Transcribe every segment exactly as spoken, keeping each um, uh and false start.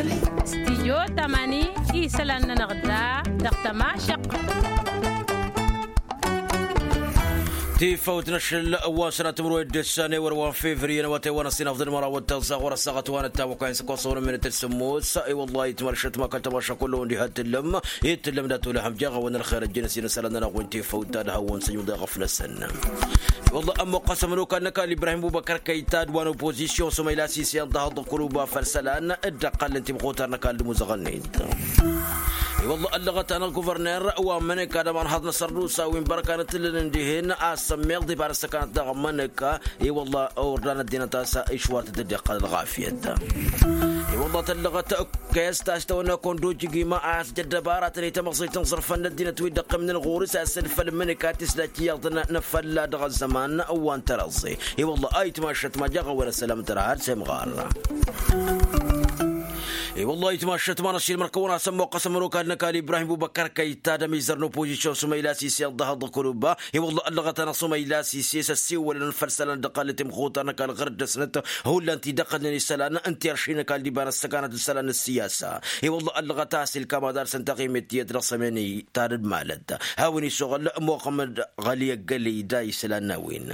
Stijyo tamani isălan-nănăɣ da dăɣ-tămašăqq. Tifawt n-ašăl wa sănat timǝrwed d-ǝssan ewăr wa n-fevriye n-awătay wa n-ăssinăfḍăn măraw d-tăẓẓaɣ wăr-ăssaɣăt wa n-ăttan wa kăyăn s-ăkkoẓ wăr-ămminăt d-sǝmmos. I-wăllah itmăršăt ma kăl-tămaša kullu-wăn diha t-tǝllăm. I t-tǝllăm dat-olăhăm jaɣ-awăn ălxer ăjjăn ăsinăsălan-nănăɣ wi n-tifawt ta d-hawăn-săjnuḍ i-ɣăf-năsăn. I-wălla ămmuqqăsăm n-okal n-ăkall ibrahim bubăkăr kăytad wa n-opozisyon s-umăyla s-ise iḍḍăhăḍ d-kuluba făll-isălan dd-ăqqalăn timxutar n-ăkall d-imuzăɣăn-net. I-wălla ăllăɣăt-anăɣ guvărner wa n-mănăkka d-ămanhaḍ n-asărdusa wi n-bărkanăt ǝllǝlăn dihen a-s ămmiḍ iba n-ăssăkanăt dăɣ-mănăkka. I-wălla ordan ăddinăt a-s išwar tǝddǝd iqqăl ălɣafyăt. I-wălla tăllăɣăt kăy-ăsta s-tawănna kăwăn-dd-ojǝgima a-s jăr dăbaratăn i-tamăẓăyt n-iẓrǝfăn n-ăddinăt wi dd-ăqqimnen ɣur-s a-s ǝlfăl mǝnǝka tisdajt iyyăḍăn n-afălla dăɣ-ăzzăman wa n-tărăẓẓe. I-wălla a itmašăt ma jaɣ-awăn ăssălam tărha ad-semɣar. I-wălla a itmašăt ma n-ašil mărkăwăn a-s ămmoqqăsăm n-okal n-ăkall ibrahim bubăkăr kăytad ămizăr n-opozisyon s-umăyla s-ise ăḍḍăhăḍ d-kuluba. I-wălla ăllăɣăt-anăɣ s-umăyla s-ise s-ăssiwălăn făll-isălan dd-ăqqalăn timxutar n-ăkall ɣur-dd-ăsnăt. Hullan ti dd-ăqqălnen isălan n-tirši n-ăkall d-iba n-ăssăkanăt d-isălan n-ăssiyasa. I-wălla ăllăɣăt a-s ilkam ad-arsăn taɣimit tiyyăt dăɣ-sămeni ta d-malăt. Hawăn-isuɣǝl muxămmăd ɣăli ăggălăy da isălan n-a-wen.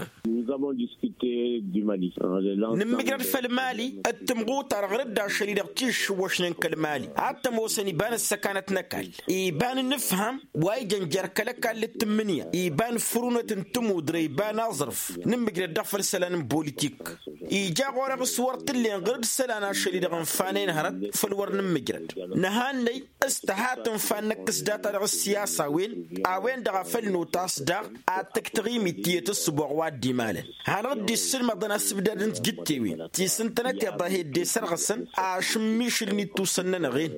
Nǝmmǝjrăd făll-mali d-timɣutar ɣur-dd ašăl-i-dăɣ tišǝwwăšnen kăl-mali ad-t-ămoosăn iba n-ăssăkanăt n-ăkall iba n-inǝfham wa ijăn jer-kăl-ăkall d-tǝmmǝnǝya iba n-fărunăt n-tămudre iba n-aẓrǝf. Nǝmmǝjrăd-dăɣ făll-isălan n-politik ija ɣur-e ɣas wăr t-ǝllen ɣur-dd isălan ašăl-i-dăɣ ǝnfanen hărăt. Făll-wăr nǝmmǝjrăd nǝhannăy s-tăha tǝnfa n-năkk s-data dăɣ-ăssiyasa a-wen a-wen-dăɣ a făl notas daɣ ad-tǝkk taɣimit tiyyăt ǝssǝboɣ wa dd-imalăn. Hanăɣ-dd-issǝlmăḍăn asǝbdad n-tijǝttewen ti s-ǝntănăteḍ a he-dd-esărɣǝsăn ašǝmmišǝl n-ittusăn-nănăɣ-en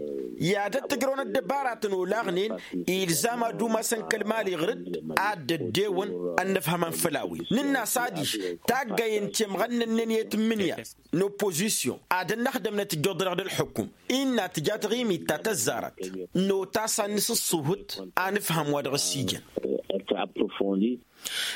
i-ad-ăttăjrăwăn ăddăbaratăn olaɣnen. Ilzam ad-umasăn kăl-mali ɣur-dd ad-dd-ăddewăn ănnăfhămăn făll-a-wen nǝnn'-as adiš taggayen temɣănnănnen i-tǝmmǝnǝya n-oppozisyon ad-ănnăxdămnăt ǝjjuḍ-dăɣ d-ălḥukum. Innă tǝja taɣimit ta tăzzarăt notas ad-nǝsǝṣṣuhǝt anǝfham wa dăɣ-s ijăn.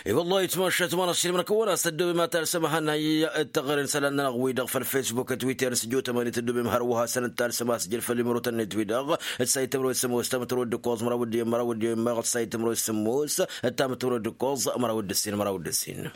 I-wăllah itmašat ma n-ašilmăn kăwăn-as tăddobem ad-talsăm ahănay d-teɣăre n-isălan-nănăɣ-wi-dăɣ făll-facebook d-twitter n-sǝjjo tămani tăddobem hărwa hasăn-dd-talsăm asjăl făll-imărotăn-net-wi-dăɣ d-sayt timro d-sămmos tamtro d-ǝkkoẓ măraw d-iyyăn măraw d-iyyăn meɣ d-sayt timro d-sămmos d-tamtro d-ǝkkoẓ măraw d-ǝssin măraw d-ǝssin.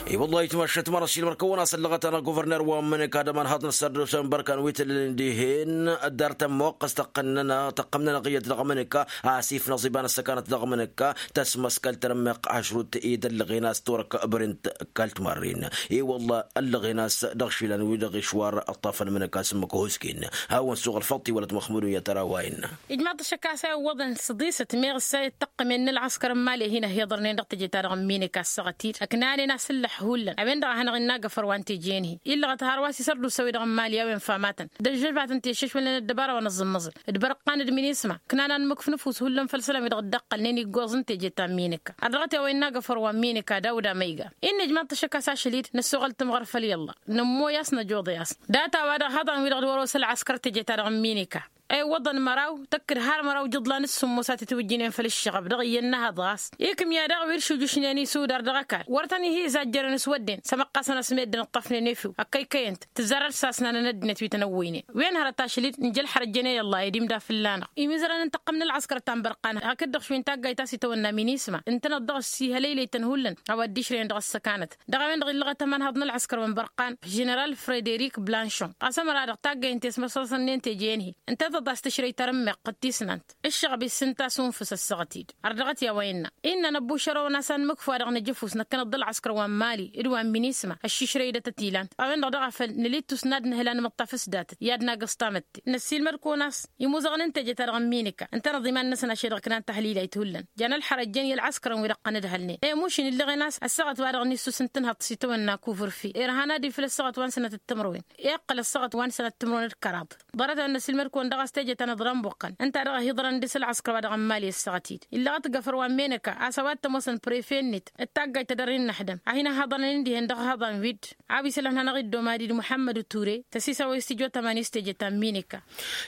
I-wăllah itmašat ma n-ašilmăn kăwăn-as ăllăɣăt-anăɣ guvărner wa n-mănăkka d-ămanhaḍ n-ăssărdusa n-bărkan wi tǝllǝlăn dihen. Ăddar tămmoqqăs tăqqăn-nănăɣ tăqqăm-nănăɣ iyyăt dăɣ-mănăkka asif n-aẓiba n-ăssăkanăt dăɣ-mănăkka tăsmăskăl tărămmeɣt ašrut i-dd-ăllăɣen a-s turăk bărent. Kalt marrin i-wălla ăllăɣen a-s dăɣ-išilan wi-dăɣ išwar ăṭṭafăn mănăkka s-ǝmmǝk husken. Hawăn-suɣ ălfăḍt iwălăt măxmud-uyyăt ăraway-nănăɣ. Ijmaḍ-t ašăk a-s a iwwăḍăn s-ḍisăt meɣ ǝssa i-dd-tăqqǝmen n-ălɣăskăr n-imali a hin-ăhiḍărnen dăɣ-teje-ta-dăɣ n-minik a ăssaɣăt-dd ăknanen asǝllăh hullan a-wen-dăɣ a hanăɣ-innagăfăr wa n-teje-en-hi illăɣăt hărwa s-isărdusa-wi-dăɣ n-imali a-wen famatăn d-ăžžăvatăn ti ăššăšwălnen ăddăbara wa n-ăẓẓǝmmăẓǝl d-bărăqqan d-minisma ǝknan anmǝk f-nǝfus hullan făll-isălan-wi-dăɣ dd-ăqqălnen iggoẓ n-teje ta n-minik. Ărdăɣăt i-a-wa innagăfăr wa n-minik ad-awd amăyga. Innă ijmaḍ-t ašăk a-s ašăl-dd năssoɣăl tǝmɣăr făll-i ălla nǝmmoy a-s năjoḍăy a-s data-wa-dăɣ haḍăn-wi-dăɣ d-wăr-osă ălɣăskăr teje-ta-dăɣ n-minik a iwwăḍăn măraw tăkk d-har măraw ijǝḍlan s-sǝmmos a tǝtwǝjjǝynen făll-ǝššăɣăb dăɣ-iyyăn n-ehăḍ ɣas ikǝm i-ad-dăɣ wi d-šujǝšnen isudar dăɣ-ăkall wăr tăn-ihi izajjărăn s-wădden s-ămăqqasăn a-s meddǝn ǝṭṭăfnen efew ăkkăykăyăn-t tǝzzar ad-sasnanăn ăddinăt wi tăn-ăwwăynen. Wen hărăt ašăl-dd nǝjăl xărăjjăn i-ălla ed imda fǝlla-năɣ imizărăn n-tăqqăm n-ălɣăskăr ta n-bărqan hakd-dăɣ šund taggayt a-s itawănna minisma ǝntăneḍ dăɣ-s ihălăylăy-tăn hullan a-wa dd-išrăyăn dăɣ-ăssăkanăt dăɣ-a-wen-dăɣ illăɣăt ămanhăḍ n-ălɣăskăr wa n-bărqan ženeral frederik blanchon ɣas ămăra-dăɣ taggayăn tesmăsăsăn-nen teje-en-hi ǝntăneḍ a-s tǝšrăy tarǝmmeɣt d-tisnant ǝššăɣăb issǝnta s-unfǝs ăssaɣăt-dd. Ărdăɣăt i-a-wa innă innă năbbušărăwăn a-s anmǝkf wa-dăɣ nǝjǝfus năkkăneḍ d-ălɣăskăr wa n-mali d-wa n-minisma ăššišrăy-dăt ătilant a-wen-dăɣ daɣ a făl nǝla ittus n-ad-nǝhǝl anmǝṭṭaf s-datăt i-ad-nagǝẓ tamătte. Năssiilmăd-kăwăn a-s imuzăɣăn n-teje-ta-dăɣ n-minika ǝntăneḍ iman-năsăn ašăl-i-dăɣ ǝknan tahlilayt hullan jan ălxărăjjăn i-ălɣăskărăn wi dăɣ-tăn-ǝdhălnen i-mušin ǝllăɣen a-s ăssaɣăt wa dăɣ-nǝssus n-tǝnhăḍt s-itawănna kuvǝrfi irhan ad-ifǝl ăssaɣăt wa n-sănătăt timǝrwen iqqăl ăssaɣăt wa n-sănăt timǝrwen d-kăraḍ. Ḍarăt-a-wen n-ăsilmăd-kăwăn dăɣ-a-s teje ta n-iḍran buqqăn ǝnta dăɣ-a hi-iḍrăn dăɣ-s ălɣăskăr wa dăɣ-ămmal i-ăssaɣăt-dd illăɣ-t gafăr wa n-menăka a-s a-wa t-ămoosăn prefe-net d-taggayt ta dăr-i n-inăxdăm a hin-ăhhăḍăn ănindi-hen dăɣ-ehăḍan wi-dd a-wa isălan hanăɣ-dd-omadid muḥămmăd ture tăsisawăy s-tijot ămani s-teje ta n-menăka.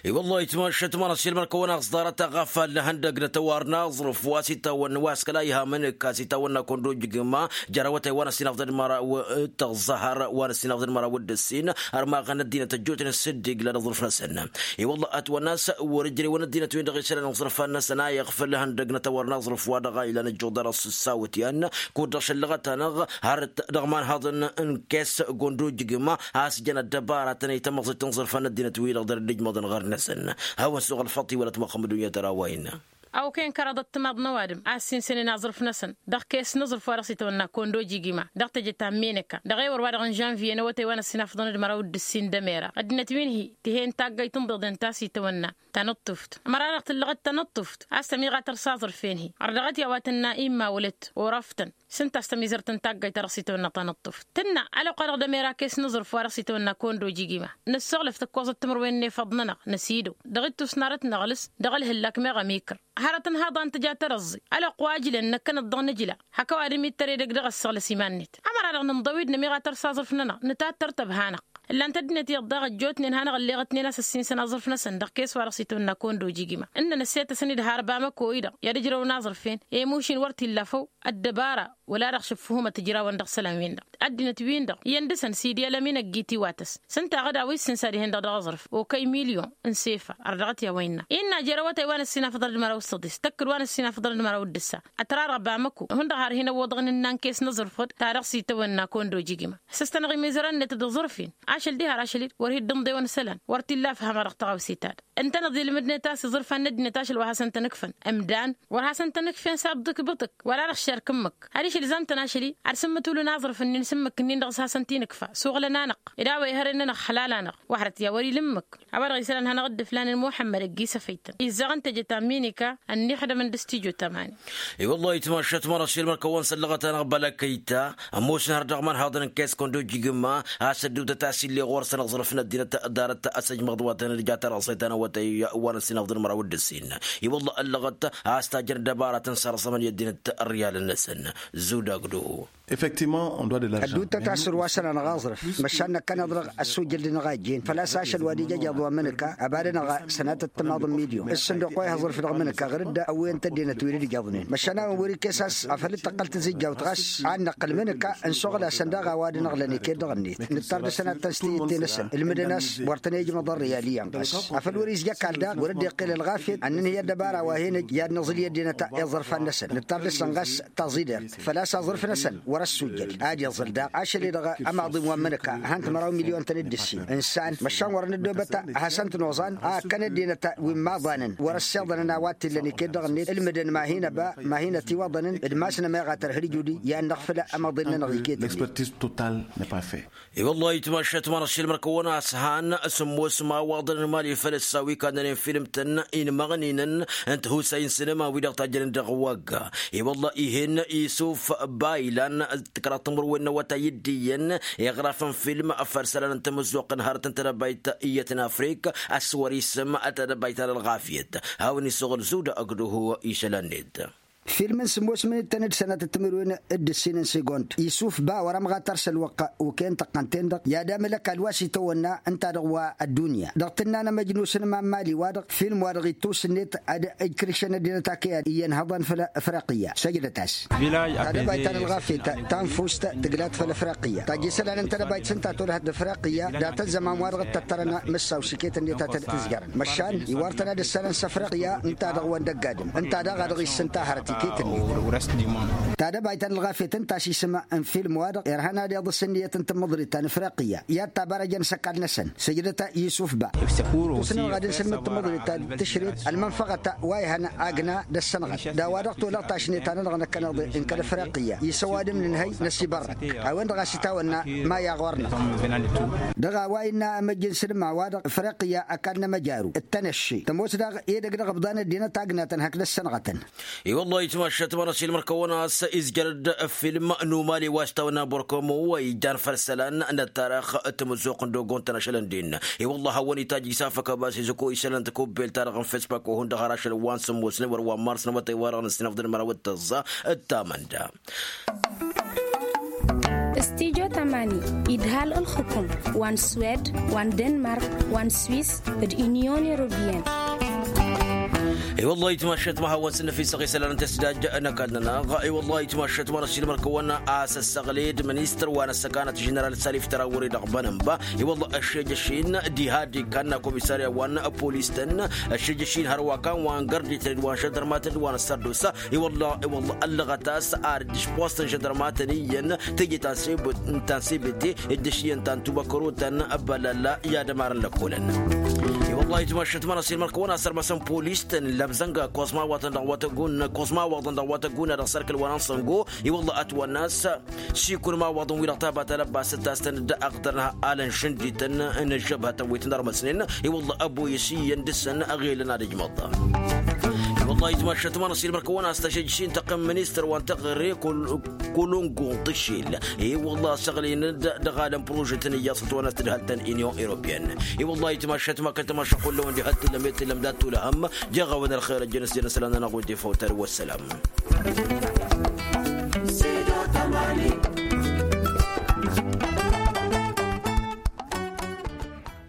I-wăllah itmašăt ma n-asilmăd-kăwăn a-s ḍarăt aɣafal n-ihăndăg n-ătwar n-aẓrǝf wa s-itawănna wa s-kăla iha mănǝk a-s itawănna kăwăn-dd-ojǝgǝm jer-awătay wa n-ăssinafḍăn măraw d-tăẓẓăhăr wa n-ăssinafḍăn măraw d-ǝssin ărmaɣăn ăddinăt ăjjootnen s-dd-igla d-aẓrǝf-năsăn. I-wăllah ătwănna a-s wăr-ǝjrewăn ăddinăt-win-dăɣ isălan n-aẓrǝfan-năsăn a iɣfǝl ihăndăg n-ătwar n-aẓrǝf wa dăɣ-a ilan ăjjuḍ dăr-s ǝssawăt i-an kud-dăɣ šăllăɣăt-anăɣ hărăt dăɣ-imanhaḍăn n-kes kăwăn-dd-ojǝgǝm a-s jăn ăddăbaratăn i-tamăẓit n-aẓrǝfan n-ăddinăt-wi-dăɣ dăr-dd-ijmăḍăn ɣur-năsăn. Hawăn-suɣ ălfăṭ iwălăt măxămăd unyăt ărawăyăn. Awkăyăn kăraḍăt timaḍ n-ăwadǝm a ăssinsănen aẓrǝf-năsăn dăɣ-kes n-aẓrǝf wa dăɣ-s itwănna kăwăn-dd-ojǝgǝm a dăɣ-teje ta n-menăka dăɣ-ewăr wa dăɣ-n žănviye n-awătay wa n-ăssinafăḍăn d-măraw d-ǝssin d-emera ăddinăt wi n-hi tǝhen taggayt n-iḍeḍen ta s-itwănna tanǝṭṭuft ămăra-dăɣ tǝllăɣăt tanǝṭṭuft a-s tămiɣatăr s-aẓrǝf-en-hi ărdăɣăt i-a-wa tǝnna imma wălăt orăftăn s-ǝnta a-s tămizărt n-taggayt ta dăɣ-s itwănna tanǝṭṭuft tǝnna ălwăqq-wa-dăɣ d-emera kes n-aẓrǝf wa dăɣ-s itwănna kăwăn-dd-ojǝgǝm a nǝssoɣlăf tăkkoẓăt timǝrwen n-efăḍ-nănăɣ năsidăw dăɣ-ittus n-arăt n-aɣlǝs dăɣ-ălhǝllak meɣ ămikăr hărăt n-haḍa n-tǝja tărăẓẓi ălwăqq wa ǝjlăn năkkănăt dăɣ-nǝjla hak ăwadǝm ittăr edăgg dăɣ-ăssaɣlăs iman-net. Ămăra-dăɣ nǝnḍăw-dd nămiɣatăr s-aẓrǝf-nănăɣ nǝtattăr tăbha-năɣ ǝllan-t ăddinăt iyyăḍ daɣ ăjjootnen hanăɣ-ǝlleɣătnen a-s ăssinsăn aẓrǝf-năsăn dăɣ-kes wa dăɣ-s itwănna kăwăn-dd-ojǝgǝm a ǝnnăn ăssetăsăn-dd har bamăko-i-dăɣ i-ad-ǝjrăwăn aẓrǝf-en i-mušin wăr t-illa făw ăddăbara wăla dăɣ-šǝffǝhumăt ǝjrawăn dăɣ-isălan-win-dăɣ ăddinăt-win-dăɣ iyyăn dăɣ-săn sidi ălămin ăgg-i tiwatăs s-ǝnta aɣădaw-i s-sǝnsa dihen-dăɣ dăɣ-aẓrǝf okăy milyon n-sefa ărdăɣăt i-a-wa innă innă jer-awătay wa n-ăssinafăḍăn d-măraw s-săḍis tăkk-dd wa n-ăssinafăḍăn d-măraw d-ǝssa ătrarăɣ bamăko hundăɣ har hin-ăwwăḍăɣ n-ǝnnan kes n-aẓrǝfăd ta dăɣ-s itawănna kăwăn-dd-ojǝgǝm a-s tăstănăɣ imizărăn-net d-aẓrǝf-in ašăl diha ar ašăl-dd wăr hi-dd-ǝnḍewăn isălan wăr t-illa afham-a-dăɣ tăɣawse-ta-dăɣ ǝntăneḍ ilmǝd-net a-s iẓrǝfan n-ăddinăt ašăl wa hasăn-tăn-ǝkfăn ǝmdan wăr hasăn-tăn-ǝkfen s-abḍǝk bǝṭǝk wăla dăɣ-šerk ǝmmǝk ad-išǝlzam-tăn ašăl-i ad-sǝmmǝtulǝn aẓrǝf-ǝnnin s-ǝmmǝk-ǝnnin dăɣ-s hasăn-t-inǝkfa suɣlăn-anăɣ ed a-wa ihărăn-anăɣ ăxlal-anăɣ wăhrăt i-a wăr-ila ǝmmǝk a-wa-dăɣ isălan hanăɣ-dd-ǝflanen muḥămmăd ăgg-i s-efăy-tăn izzaɣ n-teje ta n-minika ănniixdămăn d-s-tijo tamani. I-wăllah itmašat mărašel mărkăwăn săllăɣăt-anăɣ bălăkăyta ămoosăn har dăɣ-imanhaḍăn n-kes kăwăn-dd-ojǝgǝm a-s ădduutăt a-s ill'-e ɣur-săn aẓrǝf n-ăddinăt ḍarăt asăjmăḍ wa tăn-dd-ja tărăẓayt ta n-awătay wa n-ăssinăfḍăn măraw d-ǝssin. I-wăllah ăllăɣăt a-s tajjăn ăddăbaratăn săr-ăẓămăn i-ăddinăt ărriyalăn-năsăn. Zudagdo. Ădduuttăt a-s ǝrwasăn-anăɣ aẓrǝf măšan năkkăneḍ-dăɣ ăssujjăl-dăɣ a ijjeen făl-a-s ašăl wa d-ija ijăḍ wa mǝnǝka ăbadăn-aɣ sănatăt timaḍ n-milyon s-sǝnduq wa ihăẓrǝf dăɣ-mǝnǝka ɣǝr-dd ăwwăyăn-t ăddinăt wi d-ǝjjaḍnen măšan a-wen wăr-ikkes a-s afăl d-tăqqăl tǝzǝjjawt ɣas ad-năqqǝl mǝnǝka ǝnsuɣǝl-asăn daɣ a-wa d-ănɣǝlăn iket dăɣ-net nǝttar dăɣ-săn ad-tănstǝyǝtte-năsăn ǝlmǝdăn a-s wăr tăn-ejmăḍ ărriyal iyyăn ɣas afăl wăr-izja ăkall daɣ wăr dd-iqqel ălɣafyăt ad-nǝnhǝy ăddăbara wa hen-ăj i-ad-nǝẓǝl i-ăddinăt iẓrǝfan-năsăn nǝttar dăɣ-săn ɣas taẓidert făl-a-s aẓrǝf-năsăn wăr-ăssujjăd ad-iẓǝl daɣ ašăl-i-dăɣ ămaḍim wa n-imǝnǝka han-t măraw milyon-tăn d-ǝssin ǝnsan măšan wăr-nǝddobăt a hasăn-t-noẓan a ǝkkăn ăddinăt wi n-imaḍanăn wăr-ăssiḍănăn a-wa t-illăn iket dăɣ-net ǝlmǝdăn ma hin-ăba ma hin-ătiwăḍănăn d-imass n-ămeɣ a tărhǝlǝjudi i-ad-năɣfǝl ămaḍil-nănăɣ iket-net. I-wăllah itmašat mărašel mărkăwăn a-s han sǝmmos imawaḍăn n-imali făll-ăssawi kannănen film-tăn inmăɣninăn n-tihusay n-sinǝma-wi-dăɣ tajjănen dăɣ-wagga. I-wăllah ih'-en isuf ba ilan tǝkraḍ timǝrwen n-awătay d-iyyăn iɣrafăn film făll-isălan n-tamǝzzuɣt n-hărăt n-tedăbayt iyyăt n-afrik a-s wăr-isǝm tedăbayt ta n-ălɣafyăt. Hawăn-isuɣǝl zuda ăgg-duhu isălan-net. Film n-sǝmmos minǝttăn d-sănatăt timǝrwen d-ǝssin n-sigond isuf ba wăr-ămɣatăr s-ălwăqq okăyăn tăqqăn-ten-dăɣ i-ad-amǝl ăkall wa s-itawănna ǝnta-dăɣ wa ăddunya dăɣ-tǝnna n-emăjnus n-imammal-i-wa-dăɣ film-wa-dăɣ ittus-net ad-ǝjkǝrǝšăn ăddinăt akăyad iyyăn hăḍăn făll-afriqǝyya săjdăt-as. Tadăbayt ta n-ălɣafyăt tanfust tǝglat făll-afriqǝyya tajj isălan n-tadăbayt s-ǝnta tolăhăt d-afriqǝyya dat-ăzzăman wa dăɣ-t-tăttărăn mǝssaw s-iket-net a tăn-tǝzjărăn măšan iwar-tăn ad-ǝssanăn s-afriqǝyya ǝnta-dăɣ wa n-dăgg-adǝm ǝnta daɣ a dăɣ-issǝnta hărăt iket-net. Tadăbayt ta n-ălɣafyăt ǝnta a-s isǝm n-film-wa-dăɣ irhăn ad-iḍǝs ǝnniyăt n-tamǝḍrit ta n-afriqǝyya i-ad-tabarăjăn s-ăkall-năsăn sǝjdăt yusuf ba. Tusnănăɣ ad-ǝnsǝlmǝd tamǝḍrit ta d-tǝšret ălmănfăɣăt wa ihăn agna d-ăssănɣăl d-a-wa dăɣ-tolăɣ tašnet-a-nănăɣ năkkăneḍ n-kăl-afriqǝyya isăwadǝm nǝnhăy năsibărrăk a-wen-dăɣ a-s itawănna ma i-aɣor-năɣ. Dăɣ-a-wa innă amăjj n-sǝlma-wa-dăɣ afriqǝyya ăkall n-emăjaru d-tănăšše tămoos daɣ edăgg dăɣ-ǝbḍan ăddinăt agnatăn hakd ăssănɣătăn. I-wăllah itmašat mărašel mărkăwăn a-s Izjăr-dd film n-umali wa s-tawănna borkomo wa ijjan făll-isălan n-ăttarăx. Tămăzzuɣt n-dogon-tăn ašălăn-den. I-wălla hawăn-itajj isafăk abas izăko isălan tăkubbelt-ta-dăɣ n-fespak wa hundăɣ har ašăl wa n-sǝmmos n-wăr wa n-mars n-awătay-wa-dăɣ n-ǝssinăfḍăn mărawăt tăẓẓa d-tamănda. Studyo tamani idhal ǝlxǝkum wa n-swed wa n-denmark wa n-swis d-unyon europeyăn. I-wălla itmašăt ma hawăn-sǝnnăf isăɣ isălan n-tăsdaj n-ăkall-nănăɣ. I-wălla itmašăt ma n-ăssinămăr kăwăn-asăssăɣled ministăr wa n-ăssăkanăt ženeral salif tărawăre dăɣ-bănănba. I-wălla ăššejăšin dihadi kanna komisarya wa n-polis-tăn ăššejăšin hărwa kan wa n-gărdităn d-wa n-žăndărmatăn d-wa n-ăssărdusa. I-wălla i-wălla ăllăɣăt a-s ar dd-išpostăn žăndărmatăn iyyăn teje ta n-sebete dd-ăšyăn ta n-tubăkărotăn. Bălălla i-ad-ămarăn lăkkolăn. I-wălla itmašăt ma n-ăssinămăr kăwăn-asărmăsăn polis-tăn lăbzănga kosma wa tăn-dăɣ wa tăggun kosma wa tăn-dăɣ wa tăggun a dăɣ-sărkăl wa n-ansăngo. I-wălla ătwănna a-s sikun ma wăḍăn wi-dăɣ taba talăbbasăt ta s-tăn-dd-ăɣtărnăh alăn šǝndităn n-ăžžăbhătăn wi tăn-ărmăsnen. I-wălla ăboyăs iyyăn dăr-săn ăɣelăn ad-ǝjmăḍ. I-wălla itmašăt ma n-ăssinămăr kăwăn-as tăšăjjăšin tăqqǝm ministăr wa n-teɣăre kăl-kăl-ungu n-tǝššil. I-wălla săɣlin-dd dăɣ-alăn prožetăn iyyăḍ s-ătwănna s-tǝdhălt ta n-unyon europeyăn. I-wălla itmašăt ma kăl-tămašăɣ kullăwăn diha t-tǝllăm i-t-tǝllăm dat-tulăhăm. Jeɣ-awăn ălxer ăjjăn s-jăn isălan-nănăɣ wădde făw tari wăssălam.